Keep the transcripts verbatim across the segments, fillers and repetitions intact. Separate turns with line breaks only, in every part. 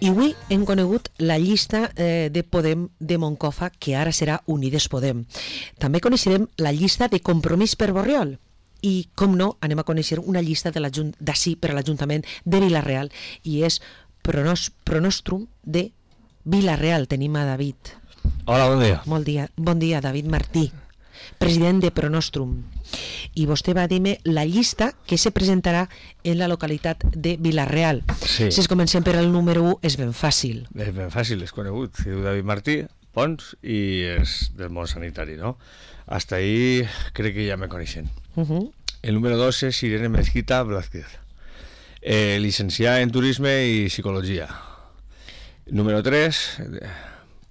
I avui hem conegut la llista eh, de Podem de Moncofa, que ara serà Unides Podem. També coneixerem la llista de Compromís per Borriol. I, com no, anem a conèixer una llista d'ací per a l'Ajuntament de Vila-real, i és Pronos, Pronostrum de Vila-real. Tenim a David.
Hola, bon dia.
Molt dia. Bon dia, David Martí, president de Pronostrum. I vostè va dir-me la llista que se presentarà en la localitat de Vila-real.
Sí.
Si es comencem per el número u, és ben fàcil.
És ben fàcil, és conegut. Si diu David Martí, Pons, i és del món sanitari, no? Hasta ahí crec que ja me coneixen.
Uh -huh.
El número dos és Irene Mezquita Blázquez, eh, licenciada en Turisme i Psicologia. Número tres,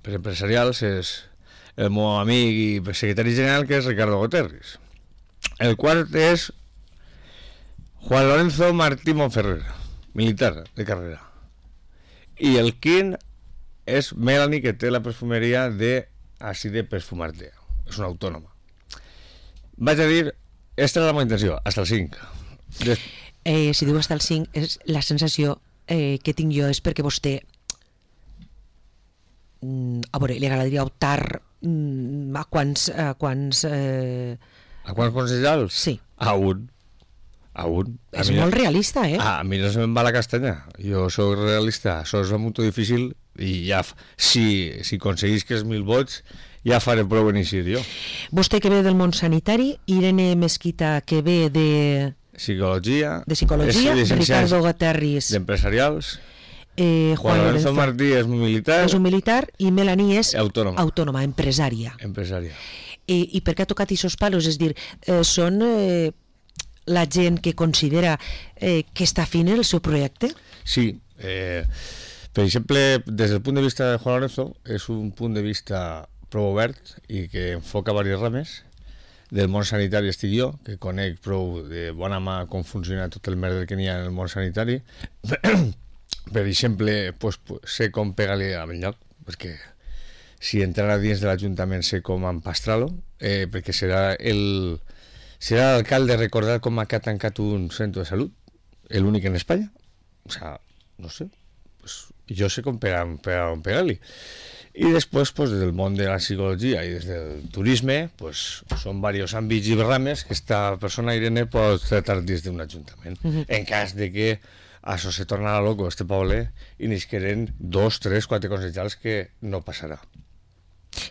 per empresarials, és el meu amic i secretari general, que és Ricardo Guterres. El quart és Juan Lorenzo Martí Monferrer, militar de carrera. I el quint és Melanie, que té la perfumeria de Així de Perfumarte. És una autònoma. Vaig a dir, esta és la meva intenció, hasta el cinc. Des...
Eh, si diu hasta el cinc, és la sensació eh, que tinc jo és perquè vostè, mm, a veure, li agradaria optar mm, a quants... A quants, eh...
a quants consellals?
Sí.
A un. A un. A
és
mi,
molt realista, eh?
A, a mi no se me'n va la castanya. Jo soc realista. Això és molt difícil i ja, si, si aconseguís que és mil vots, ja faré prou en eixir jo.
Vostè que ve del món sanitari, Irene Mezquita que ve de...
Psicologia.
De psicologia, Ricardo Guterres.
D'empresarials.
Eh,
Juan, Juan Lorenzo Martí és un militar.
És un militar i Melanie és
autònoma,
autònoma empresària.
Empresària.
I, I per què ha tocat aquests palos? És dir, eh, són eh, la gent que considera eh, que està fent el seu projecte?
Sí. Eh, per exemple, des del punt de vista de Juan Lorenzo, és un punt de vista prou obert i que enfoca diverses rames. Del món sanitari estic jo, que conec prou de bona mà com funciona tot el merder que n'hi ha en el món sanitari. Per exemple, pues, sé com pegar-li a lloc, perquè si entrarà dins de l'Ajuntament sé com empastrar-lo, eh, perquè serà el serà l'alcalde recordar com ha tancat un centre de salut, l'únic en Espanya. O sea, no sé, pues, jo sé com pegar-li. Pegar, pegar I després, pues, des del món de la psicologia i des del turisme, pues, són diversos àmbits i rames que esta persona, Irene, pot tractar dins d'un ajuntament. Uh-huh. En cas de que això se torna loco, este poble, i n'isqueren dos, tres, quatre consellers que no passarà.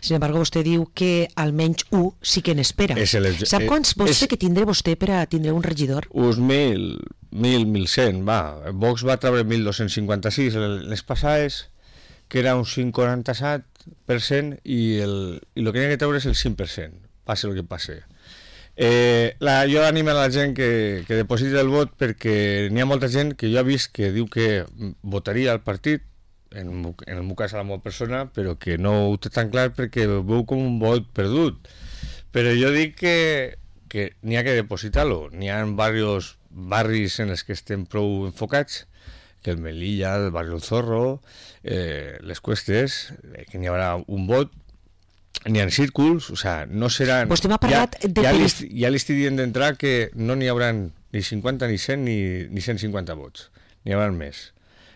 Sin embargo, vostè diu que almenys un sí que n'espera. Sap quants vots sé que tindré vostè per a tindre un regidor?
Uns mil, mil, mil cent, va. Vox va treure mil dos-cents cinquanta-sis les passades, que era un cinc coma quaranta-set per cent, i el, i el que hi ha que treure és el cinc per cent, passe el que passe. Eh, la, jo animo a la gent que, que depositi el vot, perquè n'hi ha molta gent que jo he vist que diu que votaria al partit, en, en el meu cas a la meva persona, però que no ho té tan clar perquè veu com un vot perdut. Però jo dic que, que n'hi ha que depositar-lo. N'hi ha diversos barris en els que estem prou enfocats, que el Melilla, el barri del Zorro, eh, les Cuestes, eh, que n'hi haurà un vot, n'hi ha círculs, o sea, no seran...
Vostè m'ha parlat
ja,
de...
Ja li, ja li estic dient d'entrar que no n'hi haurà ni cinquanta, ni cent, ni, ni cent cinquanta vots. N'hi haurà més.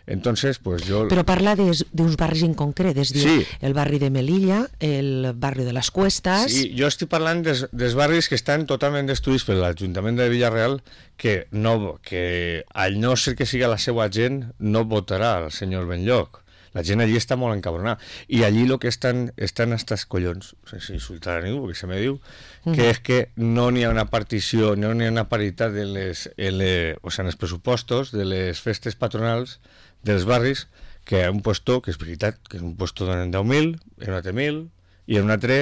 Entonces, pues yo...
Però parla d'uns barris en concret, és dir,
sí.
El barri de Melilla, el barri de les Cuestes...
Sí, jo estic parlant des, dels barris que estan totalment destruïts per l'Ajuntament de Vila-real, que, no, que al no ser que siga la seva gent, no votarà el senyor Benlloc. La gent allí està molt encabronada. I allí el que estan, estan hasta els collons, sense insultar a ningú, perquè se me diu, que mm. és que no n'hi ha una partició, no n'hi ha una paritat en, les, en, les, o sea, en els pressupostos de les festes patronals dels barris, que hi ha un puesto, que és veritat, que és un puesto donen deu mil, en un altre mil, i en un altre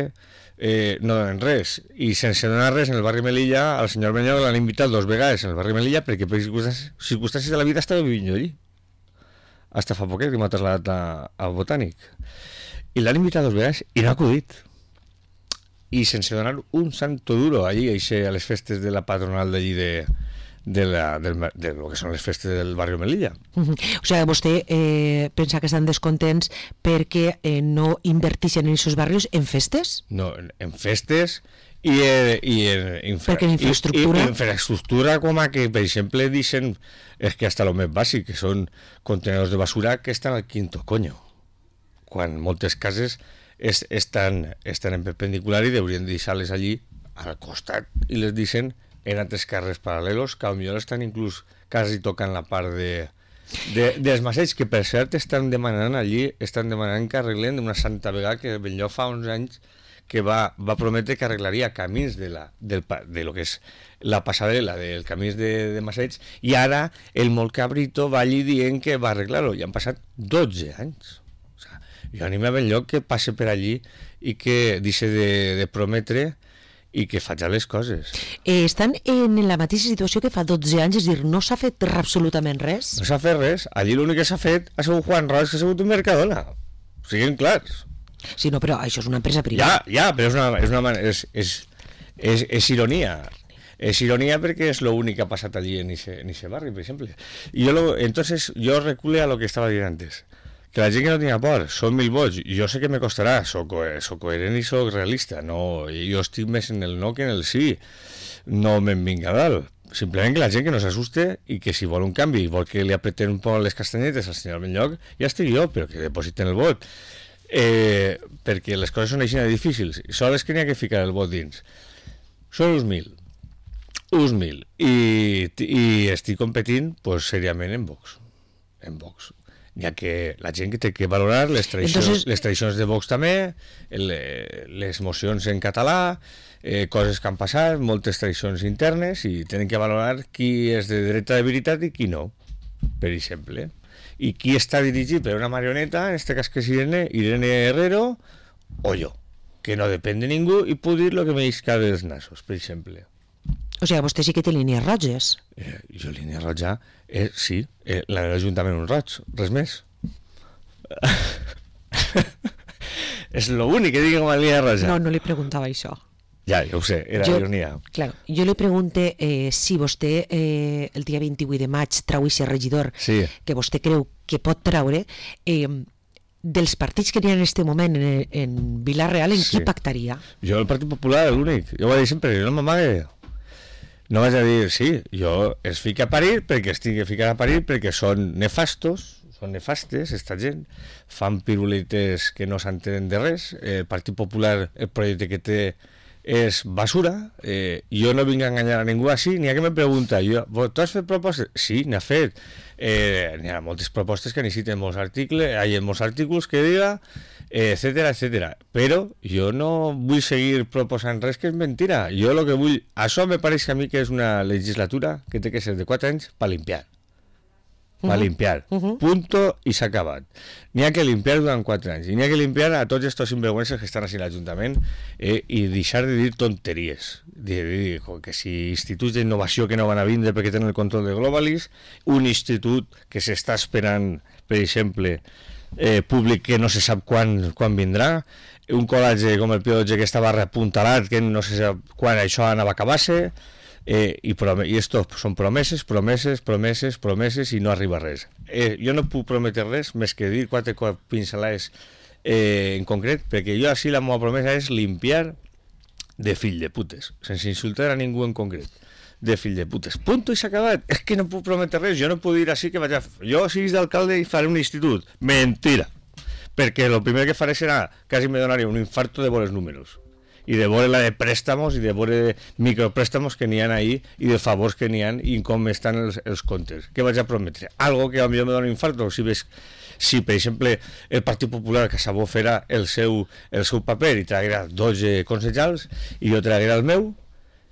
eh, no donen res. I sense donar res, en el barri Melilla, al senyor Benlloc l'han invitat dos vegades en el barri Melilla, perquè per circumstàncies de la vida estava vivint jo allí. Hasta fa poquet que m'ha traslladat al Botànic. I l'han invitat dos vegades i no ha acudit. I sense donar un santo duro allí, a les festes de la patronal d'allí de, de, la, de, de lo que són les festes del barri Melilla.
Uh-huh. O sigui, vostè eh, pensa que estan descontents perquè eh, no inverteixen en aquests barris en festes?
No, en, en festes I, eh, i, infra,
perquè infraestructura...
I, i, infraestructura com a que, per exemple, dicen, és que hasta lo més bàsic, que són contenedors de basura que estan al quinto coño, quan moltes cases es, estan, estan en perpendicular i deurien deixar-les allí al costat i les deixen en altres carrers paral·lelos que potser estan inclús quasi tocant la part de, de, dels masseigs, que per cert estan demanant allí, estan demanant que arreglen una santa vegada que Benlloc fa uns anys que va, va prometre que arreglaria camins de, la, del, de lo que és la passarel·la del camins de, de Massaig, i ara el molt cabrito va allí dient que va arreglar-ho, i han passat dotze anys. O sea, jo animo a Benlloc que passe per allí i que deixi de, de prometre i que faig les coses.
Eh, estan en la mateixa situació que fa dotze anys, és dir, no s'ha fet absolutament res?
No s'ha fet res. Allí l'únic que s'ha fet ha sigut Juan Ros, que ha sigut un Mercadona. Siguin clars.
Sí, no, però això és una empresa privada.
Ja, ja, però és una, és una és, és, és, és ironia. És ironia perquè és l'únic que ha passat allí en ese barri, per exemple. I jo lo, entonces yo recule a lo que estaba dient antes. Que la gent que no tinga por, són mil vots. Jo sé que me costarà, soc, soc coherent i soc realista. No, jo estic més en el no que en el sí. No me'n vinga dalt. Simplement que la gent que no s'assuste i que si vol un canvi, vol que li apretem un poc les castanyetes al senyor Benlloc, ja estic jo, però que depositen el vot. Eh, perquè les coses són així difícils. Sols que n'hi ha que ficar el vot dins. Són uns mil. Uns mil. I, i estic competint pues, seriament en Vox. En Vox. Ja que la gent que té que valorar les tradicions, Entonces... les tradicions de Vox també, el, les mocions en català, eh, coses que han passat, moltes tradicions internes, i tenen que valorar qui és de dreta de veritat i qui no, per exemple. I qui està dirigit per una marioneta, en este cas que és Irene, Irene Herrero, o jo, que no depèn de ningú i puc dir el que me isca dels nassos, per exemple.
O sigui, vostè sí que té línies roges.
Eh, jo línia roja, eh, sí, eh, la de l'Ajuntament un roig, res més. És l'únic que digui com a línia roja.
No, no li preguntava això.
Ja, ja ho sé, era
jo,
ironia.
Claro, jo li pregunte eh, si vostè eh, el dia vint-i-vuit de maig trau aquest regidor
sí.
que vostè creu que pot traure, eh, dels partits que n'hi ha en aquest moment en, en Vila-real, en sí. qui pactaria?
Jo el Partit Popular, l'únic. Jo ho vaig dir sempre, no m'amague. No vaig a dir, sí, jo es fica a parir perquè estic ficat a parir perquè són nefastos, són nefastes, esta gent, fan piruletes que no s'entenen de res. El Partit Popular, el projecte que té és basura, eh, jo no vinc a enganyar a ningú així, n'hi ha que me pregunta, jo, tu has fet propostes? Sí, n'ha fet. Eh, n'hi ha moltes propostes que necessiten molts articles, hi ha molts articles que diga, eh, etcètera, etcètera. Però jo no vull seguir proposant res que és mentira. Jo el que vull... Això me pareix a mi que és una legislatura que té que ser de quatre anys per limpiar. Va limpiar, uh -huh. punto, i s'ha acabat. N'hi ha que limpiar durant quatre anys, i n'hi ha que limpiar a tots estos sinvergüences que estan així a l'Ajuntament, eh, i deixar de dir tonteries, de dir que si instituts d'innovació que no van a vindre perquè tenen el control de Globalis, un institut que s'està esperant, per exemple, eh, públic que no se sap quan, quan vindrà, un col·legi com el Pio dotze que estava reapuntalat, que no se sap quan això anava a acabar-se, Eh, i, prom i esto són promeses, promeses, promeses, promeses i no arriba res. Eh, jo no puc prometre res més que dir quatre pincelades eh, en concret, perquè jo així la meva promesa és limpiar de fill de putes, sense insultar a ningú en concret, de fill de putes. Punto i s'ha acabat. És que no puc prometre res, jo no puc dir així que vaig a... Jo siguis d'alcalde i faré un institut. Mentira. Perquè el primer que faré serà, quasi me donaria un infarto de veure els números. I de veure la de préstamos i de veure micropréstamos que n'hi ha ahí i de favors que n'hi ha i com estan els, els comptes. Què vaig a prometre? Algo que a mi me dona infarto. Si ves, si per exemple el Partit Popular que sabó farà el seu, el seu paper i traguerà dotze consellals i jo traguerà el meu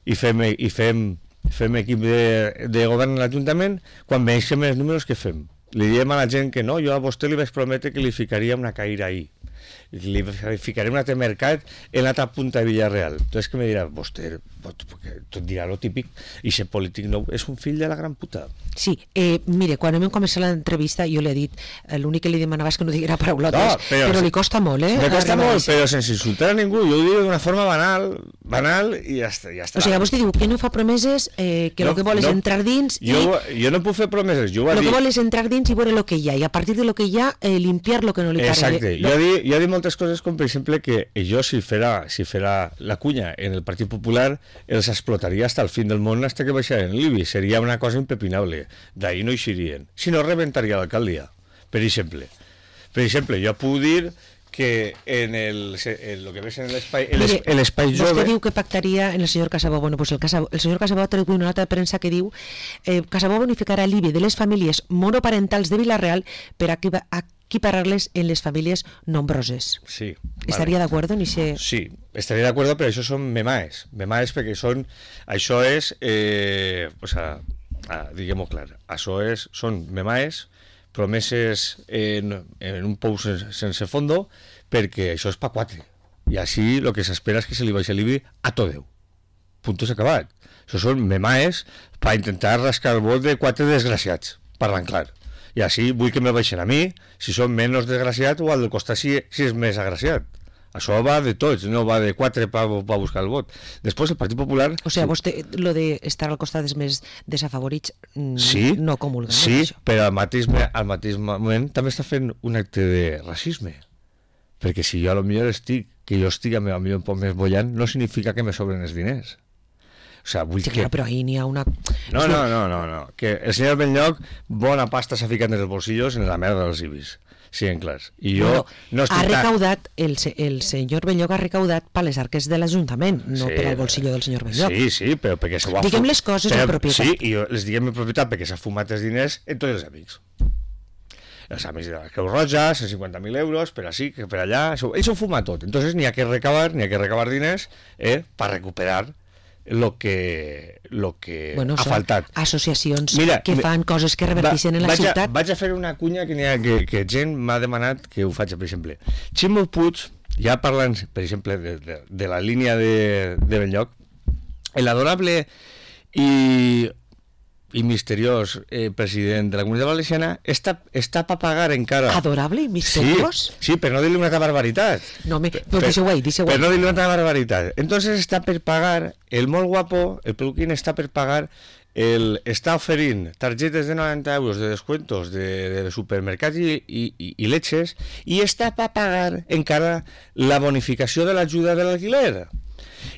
i fem, i fem, fem equip de, de govern a l'Ajuntament, quan veiem els números que fem? Li diem a la gent que no, jo a vostè li vaig prometre que li ficaria una caïra ahí. Li ficaré un altre mercat en l'altra punta de Villarreal. Entonces que me dirà, vostè, tot dirà lo típic, i ser polític no, és un fill de la gran puta.
Sí, eh, mire, quan hem començat l'entrevista jo li he dit, l'únic que li demanava és que no diguera paraulotes, no, però, però li costa molt, eh?
Me costa molt, però sense insultar a ningú, jo ho dic d'una forma banal, banal i ja està. Ja està.
O sigui, vostè diu que no fa promeses, eh, que el no, que vol és no, entrar dins i...
Jo, jo no puc fer promeses, jo ho
Lo
dir...
que vol és entrar dins i veure el que hi ha, i a partir de lo que hi ha, eh, limpiar lo que no li pareix.
Exacte, jo, di, hi ha dit moltes coses, com per exemple que jo, si farà, si farà la cunya en el Partit Popular, els explotaria hasta el fin del món, hasta que baixaren l'I B I. Seria una cosa impepinable. D'ahir no eixirien. Si no, rebentaria l'alcaldia, per exemple. Per exemple, jo puc dir que en el, en lo que ves en l'espai en l'espai jove...
Vostè diu que pactaria en el senyor Casabó. Bueno, pues el, Casabó, el senyor Casabó té una nota de premsa que diu eh, Casabó bonificarà l'I B I de les famílies monoparentals de Vila-real per equiparar-les en les famílies nombroses.
Sí.
¿Estaria
vale.
d'acord en ese...?
Sí, estaria d'acord, però això són memaes. Memaes perquè són... Això és... Eh, o sea, ah, diguem-ho clar. Això és, són memaes promeses en, en un pou sense, sense fondo, perquè això és pa quatre. I així el que s'espera és que se li baixi l'I B I a tot Déu. Punto s'ha acabat. Això són memaes per intentar rascar el vot de quatre desgraciats, parlant clar. I així vull que me baixen a mi, si són menys desgraciat, o al del costat si, si és més agraciat. Això va de tots, no va de quatre per pa buscar el vot. Després el Partit Popular...
O sigui, vostè, lo de estar al costat dels més desafavorits,
sí,
no comulga.
Sí, no, però al mateix, al mateix moment també està fent un acte de racisme. Perquè si jo a lo millor estic, que jo estic a lo millor un poc més bollant, no significa que me sobren els diners. O sea, vull
sí,
que...
clar, però ahir n'hi ha una...
No, no, no, no, no. Que el senyor Benlloc bona pasta s'ha ficat en els bolsillos en la merda dels I B Is. Sí, en clars. I jo
bueno,
no estic...
Ha recaudat, el, el senyor Benlloc ha recaudat per les arques de l'Ajuntament, no sí, per al bolsillo del senyor Benlloc.
Sí, sí, però perquè s'ho ha...
Diguem les coses
però,
en propietat.
Sí, i jo les diguem en propietat perquè s'ha fumat els diners en tots els amics. Els amics de la Creu Roja, cent cinquanta mil euros, per així, per allà... Això, ells ho fuma tot. Entonces n'hi ha que recabar, n'hi ha que recabar diners eh, per recuperar lo que, lo que
bueno,
ha faltat.
Associacions Mira, que fan coses que reverteixen va, en la
vaig
ciutat.
A, vaig a fer una cunya que, ha, que, que gent m'ha demanat que ho faig, per exemple. Ximo Puig, ja parlant, per exemple, de, de, de la línia de, de Benlloc, l'adorable i, i misteriós eh, president de la Comunitat Valenciana està, està per pagar encara...
Adorable i misteriós?
Sí, sí, per no dir-li una altra barbaritat.
No, me, pues deixeu ahí, deixeu ahí.
Per no dir-li una altra barbaritat. Entonces està per pagar, el molt guapo, el peluquín està per pagar, el, està oferint targetes de noranta euros de descuentos de, de supermercats i, i, i leches i està per pagar encara la bonificació de l'ajuda de l'alquiler.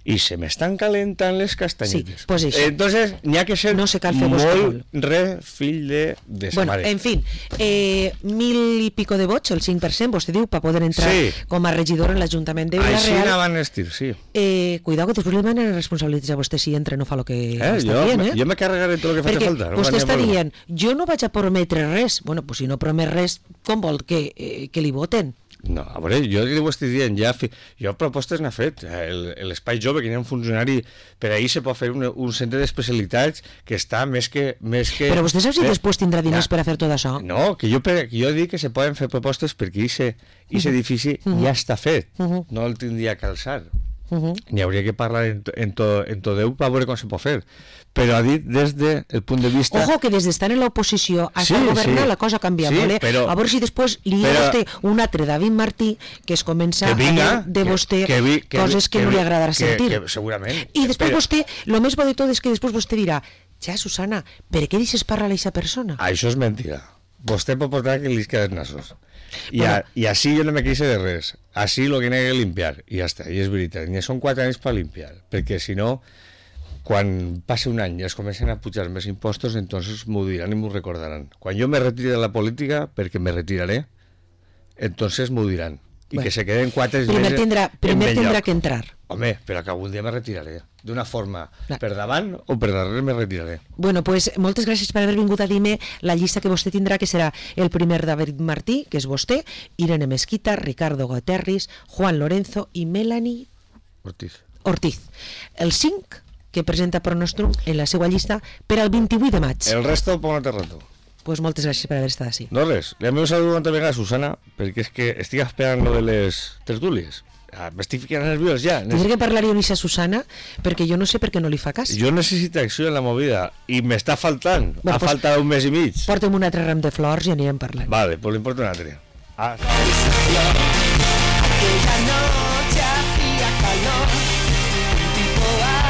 I se m'estan calentant les castanyetes.
Sí, pues
entonces n'hi ha que ser
no se
molt re fill de, de sa
bueno,
mare.
En fin, eh, mil i pico de vots, el cinc per cent, vostè diu, per poder entrar sí. com a regidor en l'Ajuntament de Vila-real.
Així anaven estir, sí.
Eh, cuidao que després li demanen responsabilitats a vostè si entra no fa el que
eh,
està
jo,
dient, eh?
Jo me carregaré tot el que faci falta.
Perquè vostè està dient, jo no vaig a prometre res. Bueno, pues si no promet res, com vol que, eh, que li voten?
No, a veure, jo li ho estic dient, ja fi... jo propostes n'ha fet, l'espai jove, que n'hi ha un funcionari, per ahir se pot fer un, un centre d'especialitats que està més que... Més que
però vostè sap si
eh?
després tindrà diners ja. per a fer tot això?
No, que jo, que jo dic que se poden fer propostes perquè aquest uh-huh. edifici uh-huh. ja està fet, uh-huh. no el tindria que alçar. Uh-huh. N'hi hauria que parlar en, en, to, en tot Déu per veure com se pot fer, però ha dit des del punt de vista...
Ojo, que des d'estar en l'oposició a sí, governar sí. la cosa canvia, sí, vale? Però, a veure si després li però, ha vostè un altre David Martí que es comença
vinga,
a dir de vostè
que, que vi, que,
coses que, que no li agradarà
que,
sentir.
Que, segurament.
I després
però,
vostè, el més bo de tot és que després vostè dirà, ja, Susana, per què deixes parlar a aquesta persona?
Això és mentida. Vostè pot portar que li queden nassos. I, bueno, a, i així jo no me queixe de res. Així lo que n'he que limpiar. I ja està, i és veritat. Ni són quatre anys per limpiar. Perquè si no, quan passi un any i es comencen a pujar més impostos, entonces m'ho diran i m'ho recordaran. Quan jo me retiri de la política, perquè me retiraré, entonces m'ho diran. I bueno, que se queden quatre
primer mesos tindrà, primer tindrà que entrar.
Home, però que algun dia me retiraré. D'una forma, clar. Per davant o per darrere me retiraré.
Bueno, pues moltes gràcies per haver vingut a dir-me la llista que vostè tindrà, que serà el primer David Martí, que és vostè, Irene Mesquita, Ricardo Guterres, Juan Lorenzo i Melanie
Ortiz.
Ortiz. El cinc que presenta Pronostrum en la seva llista per al vint-i-vuit de maig.
El resto, por un rato.
Pues moltes gràcies per haver estat així.
No res, li envio un saludo una vegada a Susana, perquè és que estic esperant lo de les tertúlies. Ah, m'estic ficant nerviós ja.
Tindré que parlar-hi a Unissa Susana, perquè jo no sé per què no li fa cas.
Jo necessito acció en la movida, i m'està faltant. Bueno, ha pues, faltat un mes i mig.
Porta'm un altre ram de flors i anirem parlant.
Vale, pues li importa un altre. Ah.